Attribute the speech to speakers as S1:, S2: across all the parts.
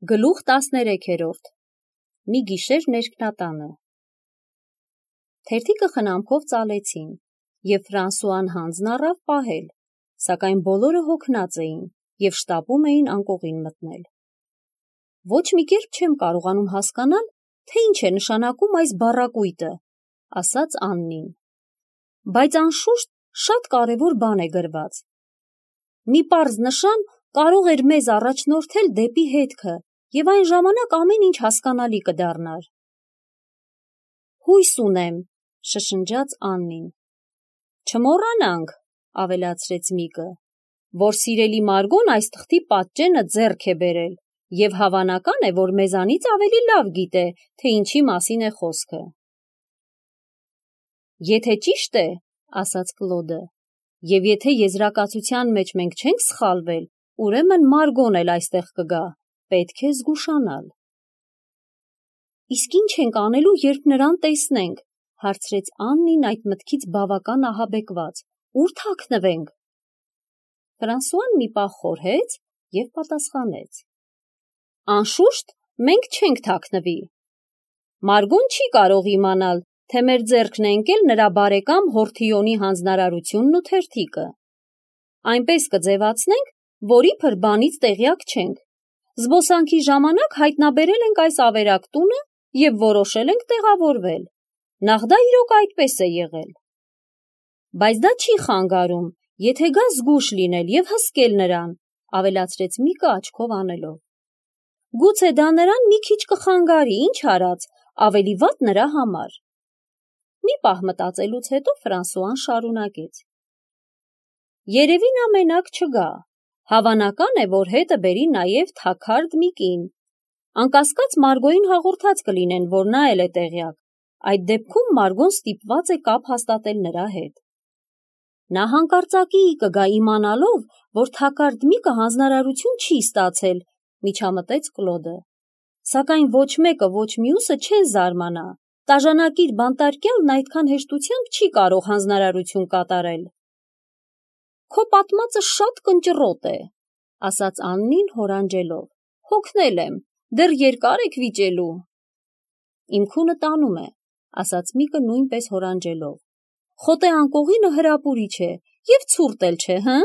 S1: Գլուխ 13-րդ Մի գիշեր ներքնատանը Թերթիկը խնամքով ծալեցին, և Ֆրանսուան հանձն առավ պահել, սակայն բոլորը հոգնած էին և շտապում էին անկողին մտնել։ Ոչ մի կերպ չեմ կարողանում հասկանալ, թե ինչ է նշանակում այս բառակույտը, ասաց Աննին։ Բայց անշուշտ շատ կարևոր բան է գրված։ Մի պարզ նշան կարող էր մեզ առաջնորդել դեպի հետքը, և այն ժամանակ ամեն ինչ հասկանալի կդառնար։ Հույս ունեմ, շշնջաց Աննին։ Չմոռանանք, ավելացրեց Միկը, որ սիրելի Մարգոն այս թղթի պատճենը ձեռք է բերել, և հավանական է, որ մեզանից ավելի լավ գիտե, թե ինչի մասին է խոսքը։ Եթե ճիշտ է, ասաց Կլոդը, և եթե եզրակացության մեջ մենք չենք սխալվել, ուրեմն Մարգոն էլ այստեղ կգա, պետք է զգուշանալ։ Իսկ ինչ ենք անելու, երբ նրան տեսնենք, հարցրեց Աննին այդ մտքից բավական ահաբեկված, ուր թաքնվենք։ Ֆրանսուան մի պահ խորհեց և պատասխանեց. Անշուշտ մենք չենք թաքնվի։ Մարգոն չի կարող իմանալ, թե մեր ձեռքն է ընկել նրա բարեկամ Հորթիոնի հանձնարարությունն ու թերթիկը։ Այնպես կձևացնենք, որ իբր բանից տեղյակ չենք։ Զբոսանքի ժամանակ հայտնաբերել ենք այս ավերակ տունը և որոշել ենք տեղավորվել։ Նախ դա իրոք այդպես է եղել։ Բայց դա չի խանգարում, եթե գա զգույշ լինել և հսկել նրան, ավելացրեց Միկը աչքով անելով։ Գուցե դա նրան մի քիչ կխանգարի, ինչ արած, ավելի վատ նրա համար։ Մի պահ մտածելուց հետո Ֆրանսուան շարունակեց. Երևի նա մենակ չգա։ Հավանական է, որ հետը բերի նաև թաքարդ մի կին։ Անկասկած Մարգոյին հաղորդած կլինեն, որ նա էլ է տեղյակ։ Այդ դեպքում Մարգոն ստիպված է կապ հաստատել նրա հետ։ Նա հանկարծակիի կգա իմանալով, որ թաքարդ Միկը հանձնարարություն չի ստացել, միջամտեց Կլոդը։ Սակայն ոչ մեկը, ոչ մյուսը չեն զարմանա։ Տաժանակիր բանտարկյալն այդքան հեշտությամբ չի կարող հանձնարարություն կատարել։ Քո պատմածը շատ կնճռոտ է, ասաց Աննին հորանջելով։ Հոգնել եմ, դեռ երկար եք վիճելու։ Իմ քունը տանում է, ասաց Միկը նույնպես հորանջելով։ Խոտե անկողինը հրապուրիչ է և ցուրտ էլ չէ, հը՞։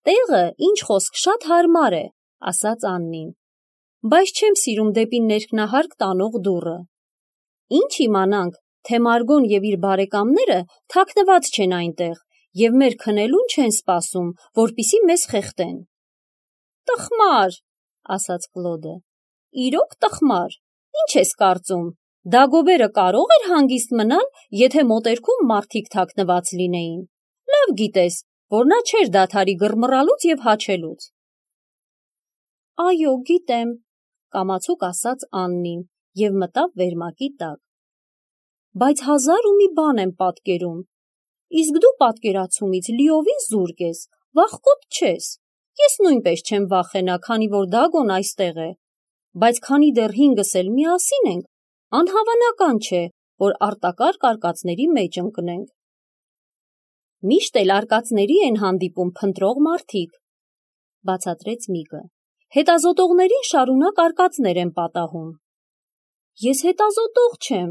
S1: Տեղը, ինչ խոսք, շատ հարմար է, ասաց Աննին։ Բայց չեմ սիրում դեպի ներքնահարկ տանող դուռը։ Ինչ իմանանք, թե Մարգոն և իր բարեկամները թաքնված չեն այնտեղ և մեր քնելուն չեն սպասում, որպեսզի մեզ խեղդեն։ Տխմար, ասաց Կլոդը։ Իրոք տխմար, ինչ ես կարծում, Դագոբերը կարող էր հանգիստ մնալ, եթե մոտերքում մարդիկ թաքնված լինեին։ Լավ գիտես, որ նա չէր դադարի գռմռալուց և հաչելուց։ Այո, գիտեմ, կամացուկ ասաց Աննին և մտավ վերմակի տակ։ Բայց հազար ու մի բան եմ պատկերում։ Իսկ դու պատկերացումից լիովին զուրկ ես, վախկոտ չես։ Ես նույնպես չեմ վախենա, քանի որ Դագոն այստեղ է։ Բայց քանի դեռ հինգս էլ միասին ենք, անհավանական չէ, որ արտակարգ արկածների մեջ ընկնենք։ Միշտ էլ արկածների են հանդիպում փնտրող մարդիկ, բացատրեց Միկը։ Հետազոտողներին շարունակ արկածներ են պատահում։ Ես հետազոտող չեմ,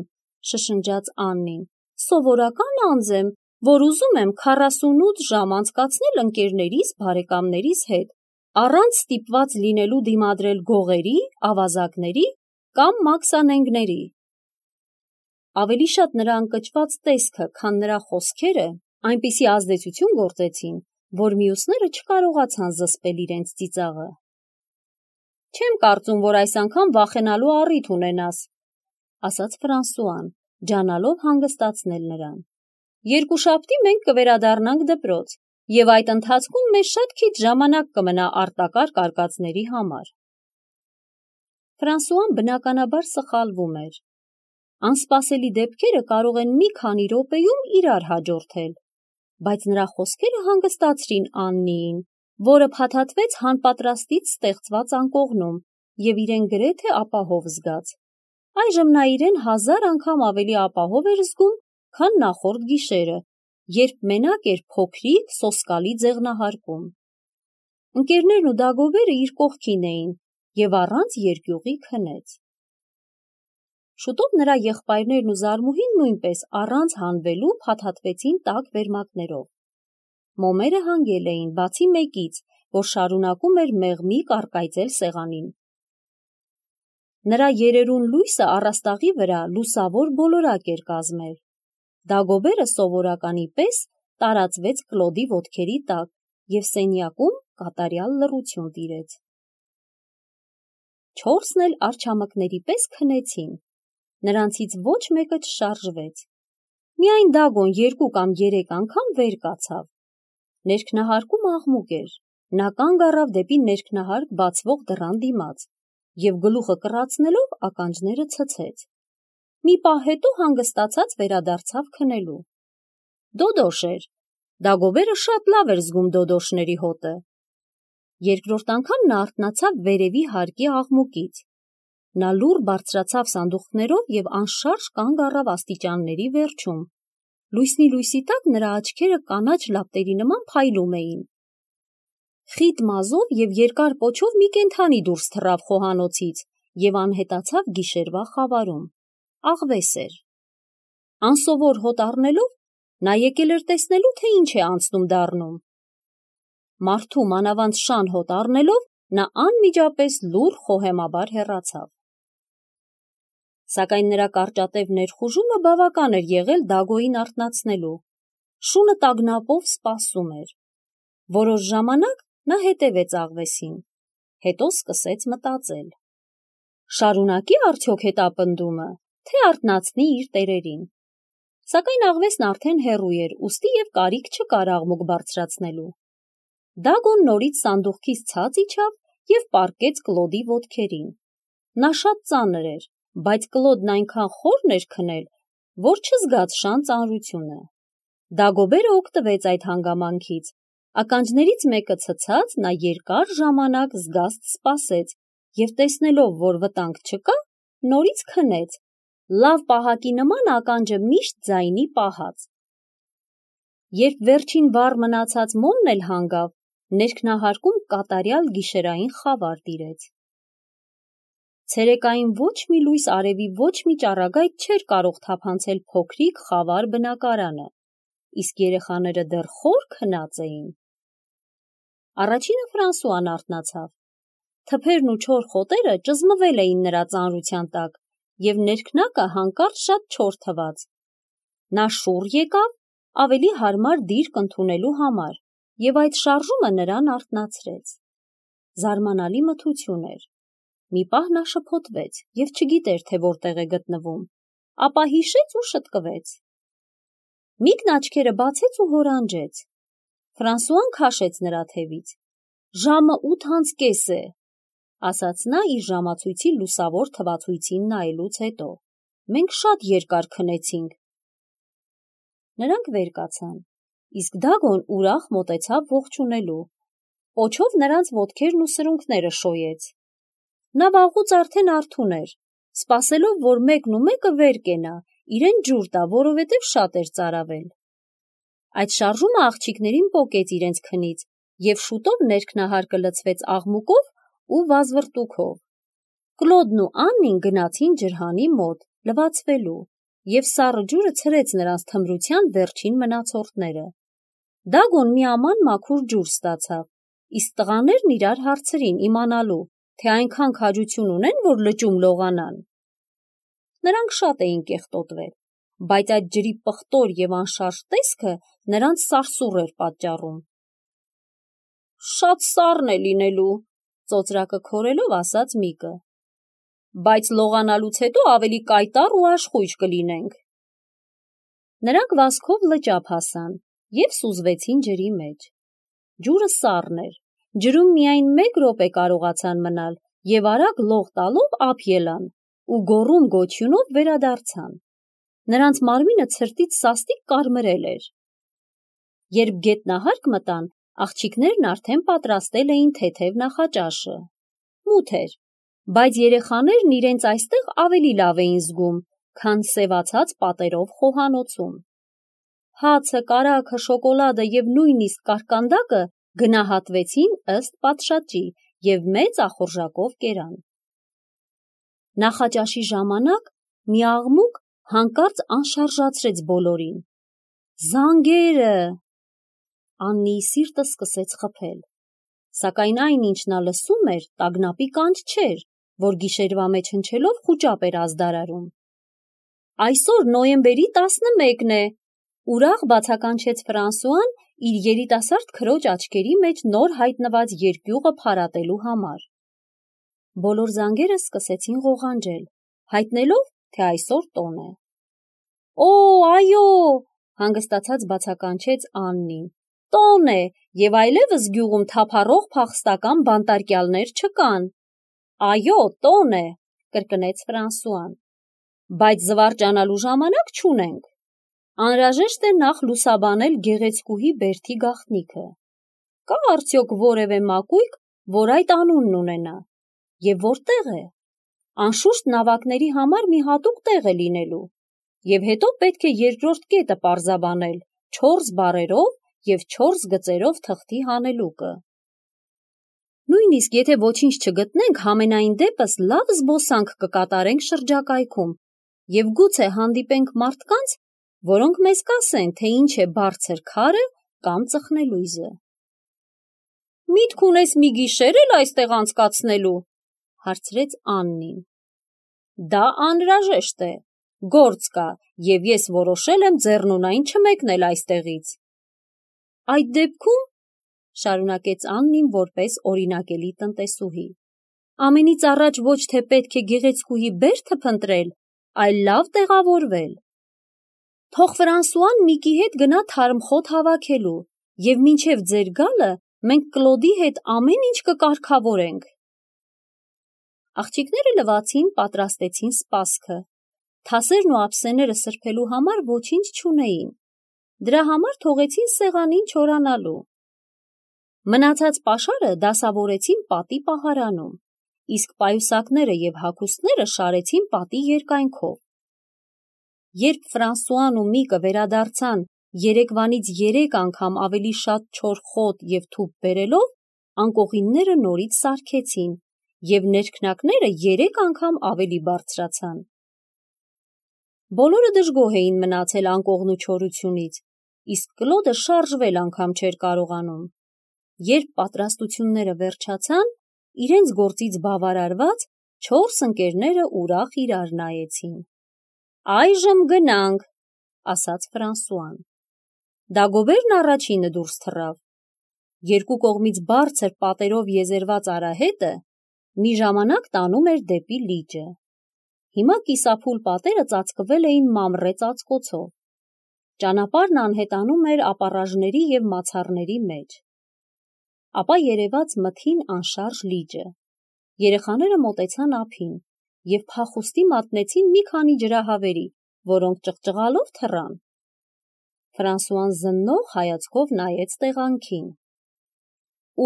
S1: շշնջաց Աննին, սովորական անձ եմ, որ ուզում եմ 48 ժամ անցկացնել ընկերներիս, բարեկամներիս հետ, առանց ստիպված լինելու դիմադրել գողերի, ավազակների կամ մաքսանենգների։ Ավելի շատ նրա ընկճված տեսքը, քան նրա խոսքերը այնպիսի ազդեցություն գործեցին, որ մյուսները չկարողացան զսպել իրենց ծիծաղը։ Չեմ կարծում, որ այս անգամ վախենալու առիթ ունենաս, ասաց Ֆրանսուան, ջանալով հանգստացնել նրան։ Երկուշաբթի մենք կվերադառնանք դպրոց, և այդ ընթացքում մեզ շատ քիչ ժամանակ կմնա արտակարգ արկածների համար։ Ֆրանսուան բնականաբար սխալվում էր։ Անսպասելի դեպքերը կարող են մի քանի րոպեում իրար հաջորդել, բայց նրա խոսքերը հանգստացրին Աննիին, որը փաթաթվեց հանպատրաստից ստեղծված անկողնում և իրեն գրեթե ապահով զգաց։ Այժմ նա իրեն 1000 անգամ ավելի ապահով էր զգում, քան նախորդ գիշերը, երբ մենակ էր փոքրիկ, սոսկալի ձեղնահարկում։ Ընկերներն ու Դագոբերը իր կողքին էին, և առանց երկյուղի քնեց։ Շուտով նրա եղբայրներն ու զարմուհին նույնպես առանց հանվելու փաթաթվեցին տաք վերմակներով։ Մոմերը հանգել էին, բացի մեկից, որ շարունակում էր մեղմի կարկայծել սեղանին։ Նրա երերուն լույսը առաստաղի վրա լուսավոր բոլորակ էր կազմել։ Դագոբերը սովորականի պես տարածվեց Կլոդի ոտքերի տակ և սենյակում կատարյալ լռություն տիրեց։ Չորսն էլ արջամկների պես քնեցին։ Նրանցից ոչ մեկը չշարժվեց։ Միայն Դագոն 2 կամ 3 անգամ վեր կացավ։ Ներքնահարկում աղմուկ էր։ Նա կանգ առավ դեպի ներքնահարկ բացվող դռան դիմաց և գլուխը կռացնելով ականջները ցցեց։ Մի պահ հետո հանգստացած վերադարձավ քնելու։ Դոդոշ էր։ Դագոբերը շատ լավ էր զգում դոդոշների հոտը։ Երկրորդ անգամ նա արթնացավ վերևի հարկի աղմուկից։ Նա լուռ բարձրացավ սանդուղքներով և անշարժ կանգ առավ աստիճանների վերջում։ Լուսնի լույսի տակ նրա աչքերը կանաչ լապտերի նման փայլում էին։ Խիտ մազով և երկար պոչով մի կենդանի դուրս թռավ խոհանոցից և անհետացավ գիշերվա խավարում։ Աղվես էր։ Անսովոր հոտ առնելով նա եկել էր տեսնելու, թե ինչ է անցնում դառնում։ Մարդու մանավանդ շան հոտ առնելով նա անմիջապես լուռ խոհեմաբար հեռացավ։ Սակայն նրա կարճատև ներխուժումը բավական էր եղել Դագոյին արթնացնելու։ Շունը տագնապով սպասում էր։ Որոշ ժամանակ նա հետևեց աղվեսին, հետո սկսեց մտածել. շարունակի արդյոք հետապնդումը, թե արթնացնի իր տերերին։ Սակայն աղվեսն արդեն հեռու էր, ուստի և կարիք չկար աղմուկ բարձրացնելու։ Դագոն նորից սանդուղքից ցած իջավ և պառկեց Կլոդի ոտքերին։ Նա շատ ծանր էր, բայց Կլոդն այնքան խորն էր քնել, որ չզգաց շան ծանրությունը։ Դագոբերը օգտվեց այդ հանգամանքից։ Ականջներից մեկը ցցած նա երկար ժամանակ զգաստ սպասեց և տեսնելով, որ վտանգ չկա, նորից քնեց, լավ պահակի նման ականջը միշտ ձայնի պահած։ Երբ վերջին վառ մնացած մոմն էլ հանգավ, ներքնահարկում կատարյալ գիշերային խավար տիրեց։ Ցերեկային ոչ մի լույս արևի ոչ մի ճառագայթ չէր կարող թափանցել փոքրիկ խավար բնակարանը, իսկ երեխաները դեռ խոր քնած էին։ Առաջինը Ֆրանսուան արթնացավ։ Թփերն ու չոր խոտերը ճզմվել էին նրա ծանրության տակ և ներքնակը հանկարծ շատ չոր թվաց։ Նա շուռ եկավ ավելի հարմար դիրք ընդունելու համար և այդ շարժումը նրան արթնացրեց։ Զարմանալի մթություն էր։ Մի պահ նա շփոթվեց և չգիտեր, թե որտեղ է գտնվում, ապա հիշեց ու շտկվեց։ Միկն աչքերը բացեց ու հորանջեց։ Ֆրանսուան քաշեց նրա թևից։ Ժամը 8:30 է, ասաց նա իր ժամացույցի լուսավոր թվացույցին նայելուց հետո։ Մենք շատ երկար քնեցինք։ Նրանք վեր կացան, իսկ Դագոն ուրախ մոտեցավ ողջունելու։ Պոչով նրանց ոտքերն ու սրունքները շոյեց։ Նա վաղուց արդեն արթուն էր, սպասելով, որ մեկն ու մեկը վեր կենա, իրեն ջուր տա, որովհետև շատ էր ծարավել։ Այդ շարժումը աղջիկներին պոկեց իրենց քնից, և շուտով ներքնահարկը լցվեց աղմուկով ու վազվռտուքով։ Կլոդն ու Աննին գնացին ջրհանի մոտ, լվացվելու, և սառը ջուրը ցրեց նրանց թմրության վերջին մնացորդները։ Դագոն մի աման մաքուր ջուր ստացավ, իսկ տղաներն իրար հարցրին իմանալու, թե այնքան քաջություն ունեն, որ լճում լողանան։ Նրանք շատ էին կեղտոտվել, բայց այդ ջրի պղտոր և անշարժ տեսքը նրանց սարսուռ էր պատճառում։ Շատ սառն է լինելու, ծոծրակը քորելով ասաց Միկը, բայց լողանալուց հետո ավելի կայտառ ու աշխույժ կլինենք։ Նրանք վազքով լճափ հասան և սուզվեցին ջրի մեջ։ Ջուրը սառն էր, ջրում միայն 1 րոպե կարողացան մնալ և արագ լող տալով ափ ելան ու գոռում գոչյունով վերադարձան։ Նրանց մարմինը ցրտից սաստիկ կարմրել էր։ Երբ գետնահարկ մտան, աղջիկներն արդեն պատրաստել էին թեթև նախաճաշը։ Մութ էր, բայց երեխաներն իրենց այստեղ ավելի լավ էին զգում, քան սևացած պատերով խոհանոցում։ Հացը, կարագը, շոկոլադը և նույնիսկ կարկանդակը գնահատվեցին ըստ պատշաճի և մեծ ախորժակով կերան։ Նախաճաշի ժամանակ մի աղմուկ հանկարծ անշարժացրեց բոլորին։ Զանգերը! Աննիի սիրտը սկսեց խփել, սակայն այն, ինչ նա լսում էր, տագնապի կանչ չէր, որ գիշերվա մեջ հնչելով խուճապ էր ազդարարում։ Այսօր նոյեմբերի 11-ն է, ուրախ բացականչեց Ֆրանսուան իր երիտասարդ քրոջ աչքերի մեջ նոր հայտնված երկյուղը փարատելու համար։ Բոլոր զանգերը սկսեցին ղողանջել, հայտնելով, թե այսօր տոն է։ Օ, այո, հանգստացած բացականչեց Աննին։ Տոն է, և այլևս գյուղում թափառող փախստական բանտարկյալներ չկան։ Այո, տոն է, կրկնեց Ֆրանսուան։ Բայց զվարճանալու ժամանակ չունենք։ Անհրաժեշտ է նախ լուսաբանել գեղեցկուհի Բերթի գաղտնիքը։ Կա արդյոք որևէ մակույկ, որ այդ անունն ունենա, և որտեղ է։ Անշուշտ նավակների համար մի հատուկ տեղ է լինելու, և հետո պետք է երկրորդ կետը պարզաբանել 4 բառերով և 4 գծերով թղթի հանելուկը։ Նույնիսկ եթե ոչինչ չգտնենք, համենայն դեպս լավ զբոսանք կկատարենք շրջակայքում և գուցե հանդիպենք մարդկանց, որոնք մեզ կասեն, թե ինչ է բարձր քարը կամ ծխնելույզը։ Միտք ունես մի գիշեր էլ այստեղ անցկացնելու, հարցրեց Աննին։ Դա անհրաժեշտ է, գործ կա, և ես որոշել եմ ձեռնունայն չմեկնել այստեղից։ Այդ դեպքում, շարունակեց Աննին որպես օրինակելի տնտեսուհի, ամենից առաջ ոչ թե պետք է գեղեցկուհի Բերթը փնտրել, այլ լավ տեղավորվել։ Թող Ֆրանսուան Միկի հետ գնա թարմխոտ հավաքելու, և մինչև ձեր գալը մենք Կլոդի հետ ամեն ինչ կկարգավորենք։ Աղջիկները լվացին, պատրաստեցին սպասքը։ Թասերն ու ափսեները սրբելու համար ոչինչ չունեին։ Դրա համար թողեցին սեղանին չորանալու։ Մնացած պաշարը դասավորեցին պատի պահարանում, իսկ պայուսակները և հագուստները շարեցին պատի երկայնքով։ Երբ Ֆրանսուան ու Միկը վերադարձան երեկվանից 3 անգամ ավելի շատ չոր խոտ և թուփ բերելով, անկողինները նորից սարքեցին, և ներքնակները 3 անգամ ավելի բարձրացան։ Բոլորը դժգոհ էին մնացել անկողնու չորությունից, իսկ Կլոդը շարժվել անգամ չէր կարողանում։ Երբ պատրաստությունները վերջացան, իրենց գործից բավարարված 4 ընկերները ուրախ իրար նայեցին։ Այժմ գնանք, ասաց Ֆրանսուան։ Դագոբերն առաջինը դուրս թռավ։ Երկու կողմից բարձր պատերով եզերված արահետը մի ժամանակ տանում էր դեպի լիճը։ Հիմա կիսափուլ պատերը ծածկվել էին մանրե ծածկոցով։ Ճանապարհն անհետանում էր ապառաժների և մացառների մեջ։ Ապա երևաց մթին անշարժ լիճը։ Երեխաները մոտեցան ափին և փախուստի մատնեցին մի քանի ջրահավերի, որոնք ճղճղալով թռան։ Ֆրանսուան զննող հայացքով նայեց տեղանքին։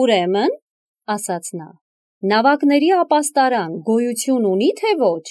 S1: Ուրեմն, ասաց նա, նավակների ապաստարան գոյություն ունի՞ թե ոչ։